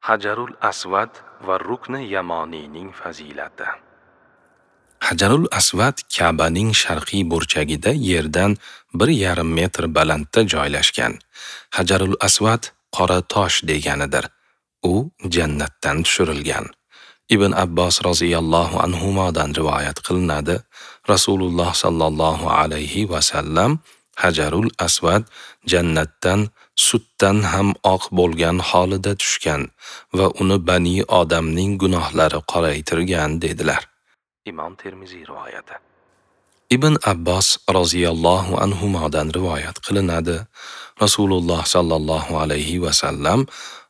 Hajarul Asvad va Rukni Yamoniyning fazilati. Hajarul Asvad Ka'baning sharqiy burchagida yerdan 1,5 metr balandda joylashgan. Hajarul Asvad qora tosh deganidir. U jannatdan tushirilgan. Ibn Abbos roziyallohu anhumodan rivoyat qilinadi. Rasululloh sallallohu alayhi va sallam Hajarul Asvad jannatdan sutdan ham oq bo'lgan holida tushgan va uni bani odamning gunohlari qoraytirgan dedilar. Imom Termiziy rivoyati. Ibn Abbos roziyallohu anhumodan rivoyat qilinadi. Rasululloh sallallohu alayhi va sallam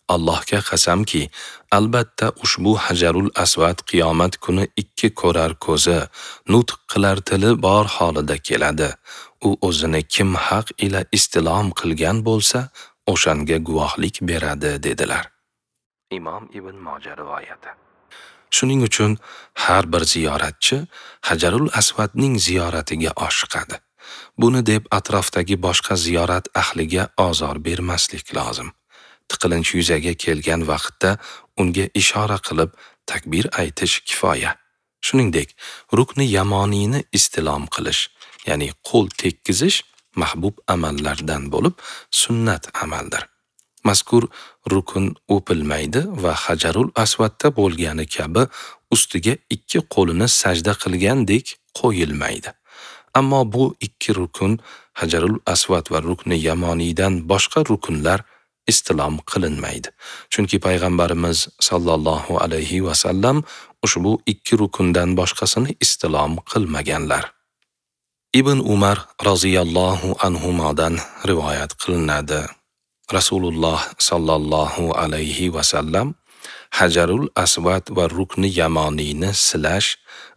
Allohga qasamki, albatta ushbu Hajarul Asvad qiyomat kuni ikki ko'rar ko'zi, nutq qilar tili bor holida keladi. U o'zini kim haq ila istilom qilgan bo'lsa, o'shanga guvohlik beradi dedilar. Imom Ibn Moja rivoyati. Shuning uchun har bir ziyoratchi Hajarul Asvadning ziyoratiga oshiqadi. Buni deb atrofdagi boshqa ziyorat ahliga ozor bermaslik lozim. Tiqilinch yuzaga kelgan vaqtda unga ishora qilib takbir aytish kifoya. Shuningdek, Rukni Yamoniyni istilom qilish, ya'ni qo'l tekkizish mahbub amallardan bo'lib, sunnat amaldir. Mazkur rukun o'pilmaydi va Hajarul Asvadda bo'lgani kabi ustiga ikki qo'lini sajda qilgandek qo'yilmaydi. Ammo bu ikki rukun Hajarul Asvad va Rukni Yamoniydan boshqa rukunlar istilom qilinmaydi. Chunki payg'ambarimiz sallallohu alayhi va sallam ushbu ikki rukundan boshqasini istilom qilmaganlar. Ibn Umar roziyallohu anhumodan rivoyat qilinadi. Rasululloh sallallohu alayhi va sallam Hajarul Asvad va Rukni Yamoniyni silash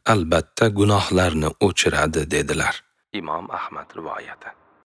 albatta gunohlarni o'chiradi dedilar. Imom Ahmad rivoyati.